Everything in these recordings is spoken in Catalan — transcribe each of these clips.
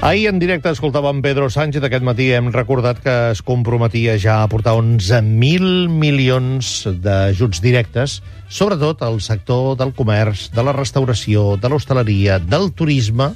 Ahir en directe escoltàvem Pedro Sánchez. Aquest matí hem recordat que es comprometia ja a aportar 11.000 milions d'ajuts directes, sobretot al sector del comerç, de la restauració, de l'hostaleria, del turisme.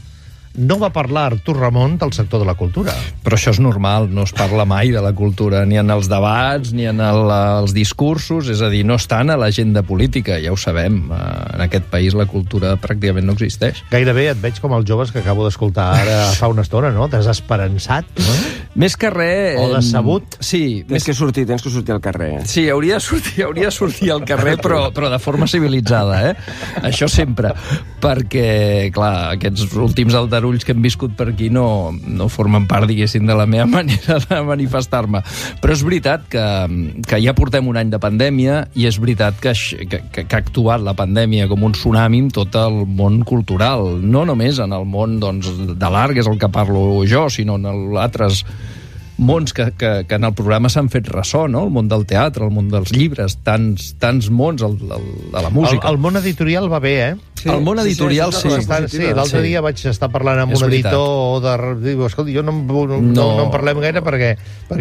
No va parlar Artur Ramon del sector de la cultura. Però això és normal, no es parla mai de la cultura, ni en els debats, ni en els discursos, és a dir, no estan a l'agenda política, ja ho sabem. En aquest país la cultura pràcticament no existeix. Gairebé et veig com els joves que acabo d'escoltar ara fa una estona, no? Desesperançat, no? Més que res... O decebut. Sí. Tens que sortir al carrer. Sí, hauria de sortir al carrer, però de forma civilitzada, Això sempre. Perquè, clar, aquests últims aldarulls que hem viscut per aquí no formen part, diguéssim, de la meva manera de manifestar-me. Però és veritat que ja portem un any de pandèmia i és veritat que ha actuat la pandèmia com un tsunami en tot el món cultural. No només en el món de l'art, que és el que parlo jo, sinó en altres mons que en el programa s'han fet ressò, no? El món del teatre, el món dels llibres, tants mons, de la música. El món editorial va bé, Sí, el món editorial, sí. L'altre dia vaig estar parlant amb un editor diu, escolta, jo no en parlem gaire perquè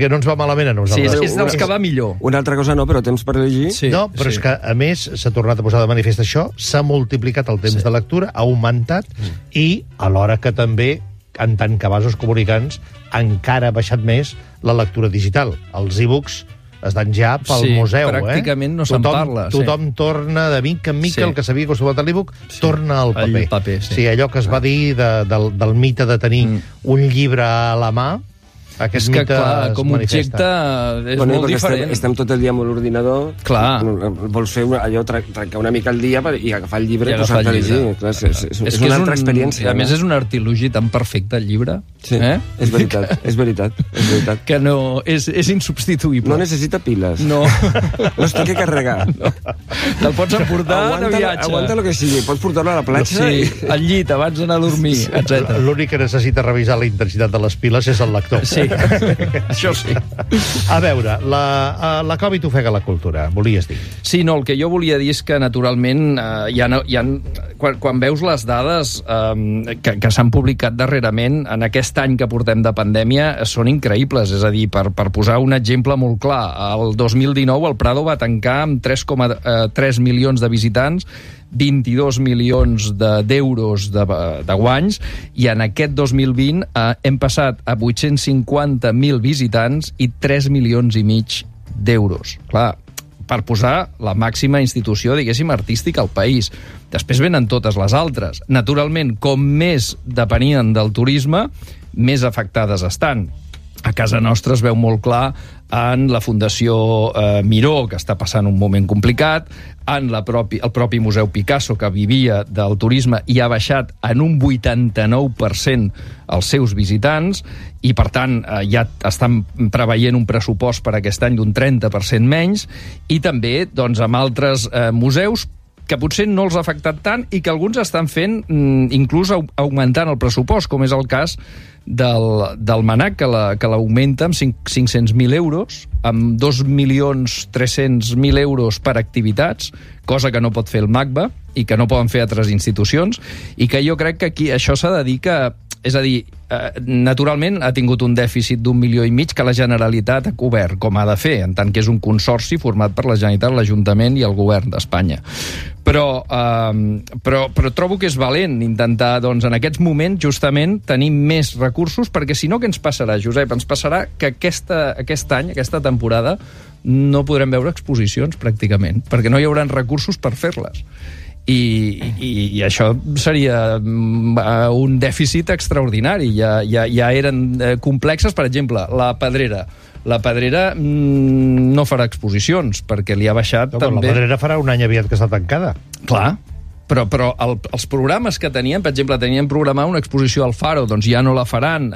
no ens va malament a nosaltres. Sí, és dels que va millor. Una altra cosa no, però temps per llegir. Sí, no, però és que, a més, s'ha tornat a posar de manifest això, s'ha multiplicat el temps de lectura, ha augmentat, i alhora que també, en tant que vasos comunicants, encara ha baixat més la lectura digital. Els e-books estan ja pel museu. Pràcticament no se'n parla. Tothom torna de mica en mica, el que s'havia acostumat a l'e-book, torna al paper. El paper, sí. Sí, allò que es va dir del mite de tenir un llibre a la mà, aquest mite clar, com a objecte és molt diferent. Estem tot el dia amb l'ordinador. Clar. Vols fer allò, trencar una mica el dia i agafar el llibre i posar-te a llegir. És una altra experiència. A més, és un artilugi tan perfecte, el llibre. Sí, és veritat. Que no, és insubstituïble. No necessita piles. No. No es té que carregar. Te'l pots emportar de viatge. Aguanta el que sigui. Pots portar-lo a la platja. Sí, al llit, abans d'anar a dormir, etc. L'únic que necessita revisar la intensitat de les piles és el lector. Sí. Això sí. A veure, la Covid ofega la cultura, volies dir. Sí, no, el que jo volia dir és que, naturalment, quan veus les dades que s'han publicat darrerament, en aquest any que portem de pandèmia, són increïbles. És a dir, per posar un exemple molt clar, el 2019 el Prado va tancar amb 3,3 milions de visitants, 22 milions d'euros de guanys, i en aquest 2020 hem passat a 850.000 visitants i 3 milions i mig d'euros. Clar, per posar la màxima institució, diguéssim, artística al país. Després venen totes les altres. Naturalment, com més depenien del turisme, més afectades estan. A casa nostra es veu molt clar en la Fundació Miró, que està passant un moment complicat, en el propi Museu Picasso, que vivia del turisme i ha baixat en un 89% els seus visitants, i per tant ja estan preveient un pressupost per aquest any d'un 30% menys, i també amb altres museus que potser no els ha afectat tant i que alguns estan fent inclús augmentant el pressupost, com és el cas del MNAC, que l'augmenta amb 500.000 euros, amb 2.300.000 euros per activitats, cosa que no pot fer el MACBA i que no poden fer altres institucions, i que jo crec que aquí això s'ha de dir que... És a dir, naturalment ha tingut un dèficit d'1,5 milions que la Generalitat ha cobert, com ha de fer, en tant que és un consorci format per la Generalitat, l'Ajuntament i el Govern d'Espanya. Però trobo que és valent intentar, en aquests moments, justament, tenir més recursos, perquè si no, què ens passarà, Josep? Ens passarà que aquest any, aquesta temporada, no podrem veure exposicions, pràcticament, perquè no hi haurà recursos per fer-les. I això seria un dèficit extraordinari. Ja eren complexes. Per exemple, la Pedrera. La Pedrera no farà exposicions, perquè li ha baixat també... La Pedrera farà un any aviat que està tancada. Clar, però els programes que tenien, per exemple, tenien programada una exposició al Faro, doncs ja no la faran.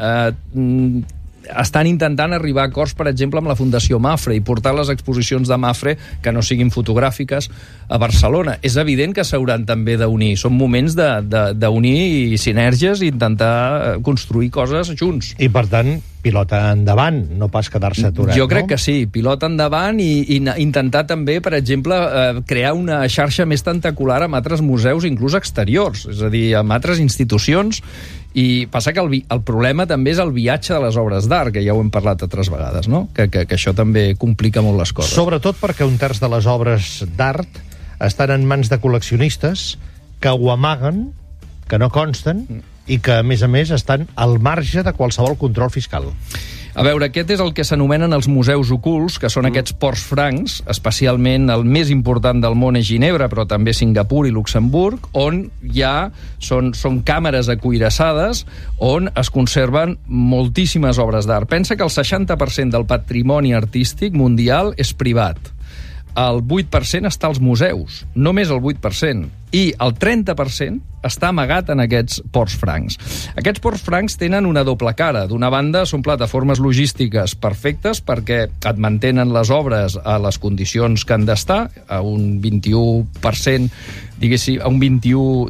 Estan intentant arribar a acords, per exemple, amb la Fundació Mafre i portar les exposicions de Mafre, que no siguin fotogràfiques, a Barcelona. És evident que s'hauran també d'unir. Són moments d'unir sinergies i intentar construir coses junts. I, per tant, pilota endavant, no pas quedar-se aturat. Jo crec que sí, pilota endavant i intentar també, per exemple, crear una xarxa més tentacular amb altres museus, inclús exteriors, és a dir, amb altres institucions. I passa que el problema també és el viatge de les obres d'art, que ja ho hem parlat altres vegades, no? Que això també complica molt les coses. Sobretot perquè un terç de les obres d'art estan en mans de col·leccionistes que ho amaguen, que no consten, i que, a més, estan al marge de qualsevol control fiscal. A veure, aquest és el que s'anomenen els museus ocults, que són aquests ports francs, especialment el més important del món és Ginebra, però també Singapur i Luxemburg, on són càmeres acuirassades on es conserven moltíssimes obres d'art. Pensa que el 60% del patrimoni artístic mundial és privat. El 8% està als museus, només el 8%, i el 30% està amagat en aquests ports francs. Aquests ports francs tenen una doble cara. D'una banda, són plataformes logístiques perfectes perquè et mantenen les obres a les condicions que han d'estar, a un 21%, diguéssim, a un 21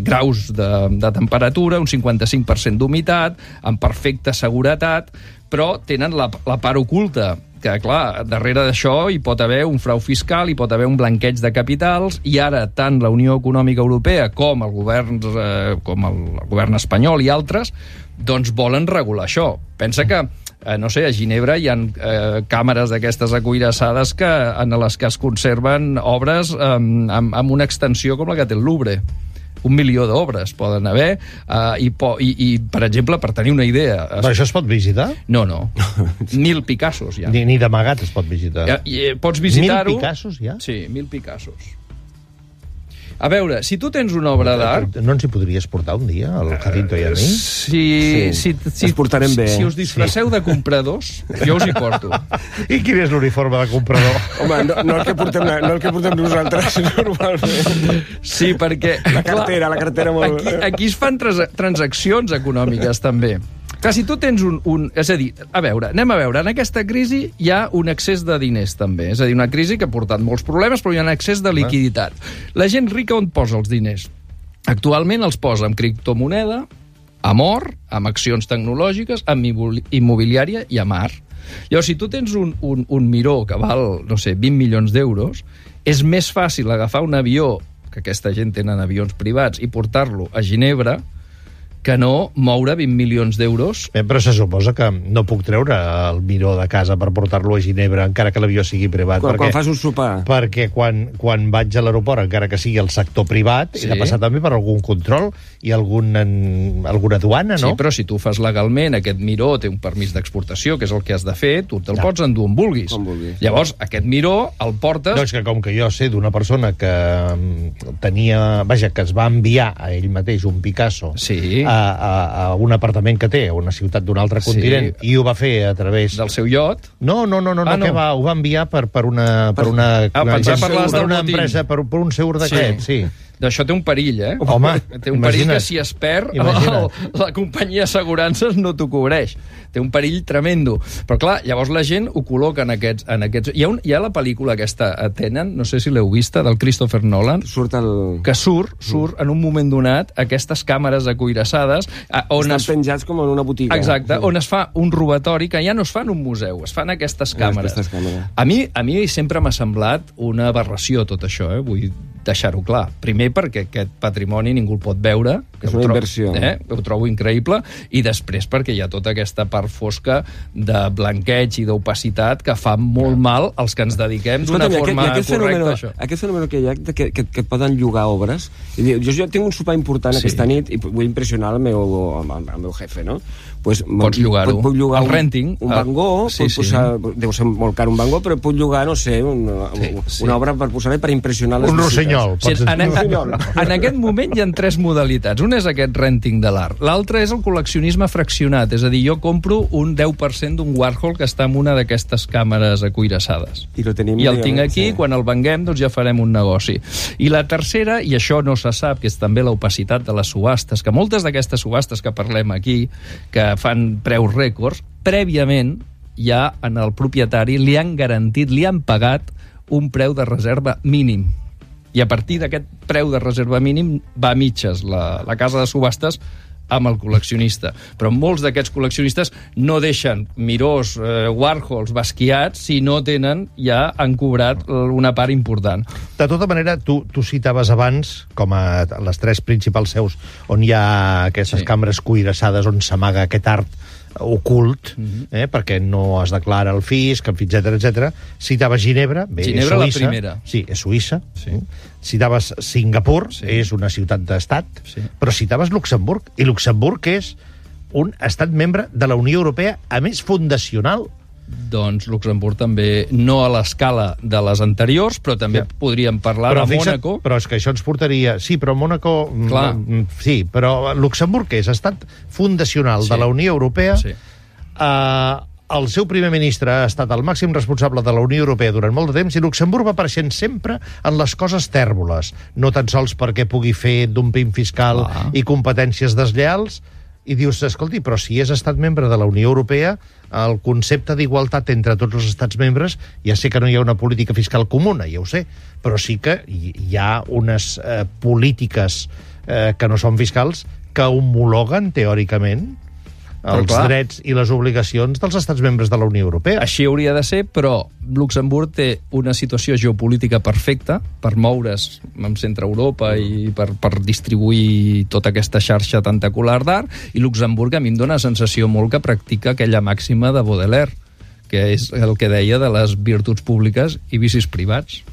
graus de temperatura, un 55% d'humitat, amb perfecta seguretat, però tenen la part oculta, que, clar, darrere d'això hi pot haver un frau fiscal, hi pot haver un blanqueig de capitals, i ara tant la Unió Econòmica Europea com el govern espanyol i altres doncs volen regular això. Pensa que, no sé, a Ginebra hi ha càmeres d'aquestes acuirassades en les que es conserven obres amb una extensió com la que té el Louvre. 1 milió d'obres poden haver, i, per exemple, per tenir una idea... Però això es pot visitar? No. 1.000 Picassos, ja. Ni d'amagat es pot visitar. Pots visitar-ho... 1.000 Picassos, ja? Sí, 1.000 Picassos. A veure, si tu tens una obra d'art... No ens hi podries portar un dia, al Jacinto i a mi? Si ens portarem bé. Si us disfresseu de compradors, jo us hi porto. I quin és l'uniforme de comprador? Home, no el que portem nosaltres, normalment. Sí, perquè... La cartera molt... Aquí es fan transaccions econòmiques, també. Clar, si tu tens és a dir, anem a veure, en aquesta crisi hi ha un excés de diners, també. És a dir, una crisi que ha portat molts problemes, però hi ha un excés de liquiditat. La gent rica on posa els diners? Actualment els posa en criptomoneda, amb or, amb accions tecnològiques, amb immobiliària i amb art. Llavors, si tu tens un miró que val, no sé, 20 milions d'euros, és més fàcil agafar un avió, que aquesta gent tenen avions privats, i portar-lo a Ginebra, que no moure 20 milions d'euros. Però se suposa que no puc treure el miró de casa per portar-lo a Ginebra, encara que l'avió sigui privat. Quan fas un sopar. Perquè quan vaig a l'aeroport, encara que sigui el sector privat, he de passar també per algun control i alguna aduana, no? Sí, però si tu fas legalment, aquest miró té un permís d'exportació, que és el que has de fer, tu te'l pots endur on vulguis. Llavors, aquest miró el portes... Doncs que com que jo sé d'una persona que que es va enviar a ell mateix un Picasso... Sí. A un apartament que té, a una ciutat d'un altre continent, i ho va fer a través... Del seu iot? No, que ho va enviar per una empresa, per un seur d'aquest, sí. D'això té un perill, eh? Home, té un perill que si es perd, la companyia d'assegurances no t'ho cobreix. Té un perill tremendo. Però clar, llavors la gent ho col·loca en aquests... Hi ha la pel·lícula aquesta, Tenen, no sé si l'heu vista, del Christopher Nolan, que surt en un moment donat aquestes càmeres acuirassades... Estan penjats com en una botiga. Exacte, on es fa un robatori que ja no es fa en un museu, es fa en aquestes càmeres. A mi sempre m'ha semblat una aberració tot això, vull deixar-ho clar. Primer perquè aquest patrimoni ningú el pot veure. És una inversió. Ho trobo increïble. I després perquè hi ha tota aquesta part fosca de blanqueig i d'opacitat que fa molt mal als que ens dediquem d'una forma correcta a això. Aquest fenomen que hi ha que et poden llogar obres. Jo tinc un sopar important aquesta nit i vull impressionar el meu jefe, no? Pots llogar-ho. Puc llogar el renting. Un Van Gogh, deu ser molt car un Van Gogh, però puc llogar, no sé, una obra per posar-hi per impressionar les visites. En aquest moment hi ha 3 modalitats. Un és aquest renting de l'art. L'altre és el col·leccionisme fraccionat. És a dir, jo compro un 10% d'un Warhol que està en una d'aquestes càmeres acuirassades. I el tinc aquí, quan el venguem, doncs ja farem un negoci. I la tercera, i això no se sap, que és també l'opacitat de les subhastes, que moltes d'aquestes subhastes que parlem aquí, que fan preus rècords, prèviament ja en el propietari li han garantit, li han pagat un preu de reserva mínim. I a partir d'aquest preu de reserva mínim va a mitges la casa de subhastes amb el col·leccionista. Però molts d'aquests col·leccionistes no deixen Mirós, Warhols, Basquiat, si no tenen, ja han cobrat una part important. De tota manera, tu citaves abans, com a les 3 principals seus on hi ha aquestes cambres cuirassades on s'amaga aquest art ocult, perquè no es declara el fisc, etc. Citaves Ginebra, bé, Ginebra, és Suïssa. la primera. Sí, és Suïssa. Sí. Citaves Singapur, és una ciutat d'estat, però citaves Luxemburg, i Luxemburg és un estat membre de la Unió Europea, a més fundacional. Doncs Luxemburg també, no a l'escala de les anteriors, però també podríem parlar de Mònaco. Però és que això ens portaria... Sí, però Mònaco... Clar. Sí, però Luxemburg és estat fundacional de la Unió Europea. Sí. El seu primer ministre ha estat el màxim responsable de la Unió Europea durant molt de temps i Luxemburg va apareixent sempre en les coses tèrboles, no tan sols perquè pugui fer dumping fiscal i competències deslleals, i dius, escolti, però si és estat membre de la Unió Europea, el concepte d'igualtat entre tots els estats membres, ja sé que no hi ha una política fiscal comuna, ja ho sé, però sí que hi ha unes polítiques que no són fiscals que homologuen, teòricament, els drets i les obligacions dels estats membres de la Unió Europea. Així hauria de ser, però Luxemburg té una situació geopolítica perfecta per moure's en centre Europa i per distribuir tota aquesta xarxa tentacular d'art, i Luxemburg a mi em dóna la sensació molt que practica aquella màxima de Baudelaire, que és el que deia de les virtuts públiques i vicis privats.